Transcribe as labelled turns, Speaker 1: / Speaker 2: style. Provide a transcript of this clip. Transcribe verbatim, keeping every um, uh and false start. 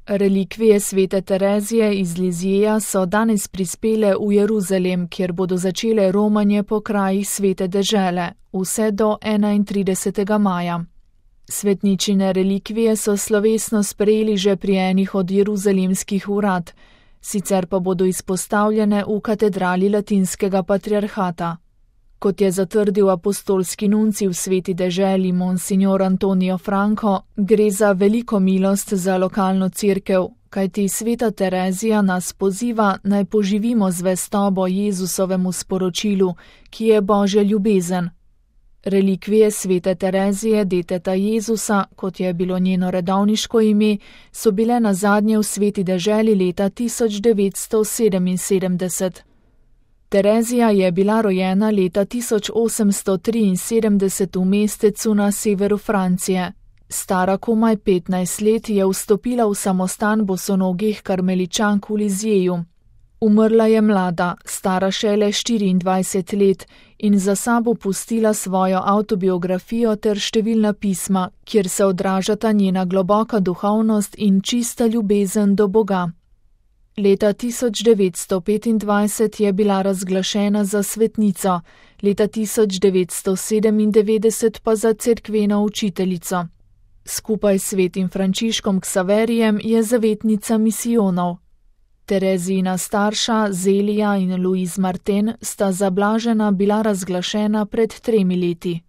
Speaker 1: Relikvije svete Terezije iz Lizjeja so danes prispele v Jeruzalem, kjer bodo začele romanje po krajih svete dežele, vse do enaintridesetega maja. Svetničine relikvije so slovesno sprejeli že pri enih od jeruzalemskih urad, sicer pa bodo izpostavljene v katedrali latinskega patriarhata. Kot je zatrdil apostolski nuncij v sveti deželi monsignor Antonio Franco, gre za veliko milost za lokalno cerkev, kajti sveta Terezija nas poziva, naj poživimo zvestobo Jezusovemu sporočilu, ki je Božja ljubezen. Relikvije svete Terezije deteta Jezusa, kot je bilo njeno redovniško ime, so bile nazadnje v sveti deželi leta tisoč devetsto sedeminsedemdeset. Terezija je bila rojena leta tisoč osemsto triinsedemdeset v mestecu na severu Francije. Stara komaj petnajst let je vstopila v samostan bosonogih karmeličank v Lizjeju. Umrla je mlada, stara šele štiriindvajset let in za sabo pustila svojo avtobiografijo ter številna pisma, kjer se odražata njena globoka duhovnost in čista ljubezen do Boga. Leta tisoč devetsto petindvajset je bila razglašena za svetnico, leta tisoč devetsto sedemindevetdeset pa za cerkveno učiteljico. Skupaj s svetim Frančiškom Ksaverijem je zavetnica misijonov. Terezijina starša Zelija in Louise Martin sta za blažena bila razglašena pred tremi leti.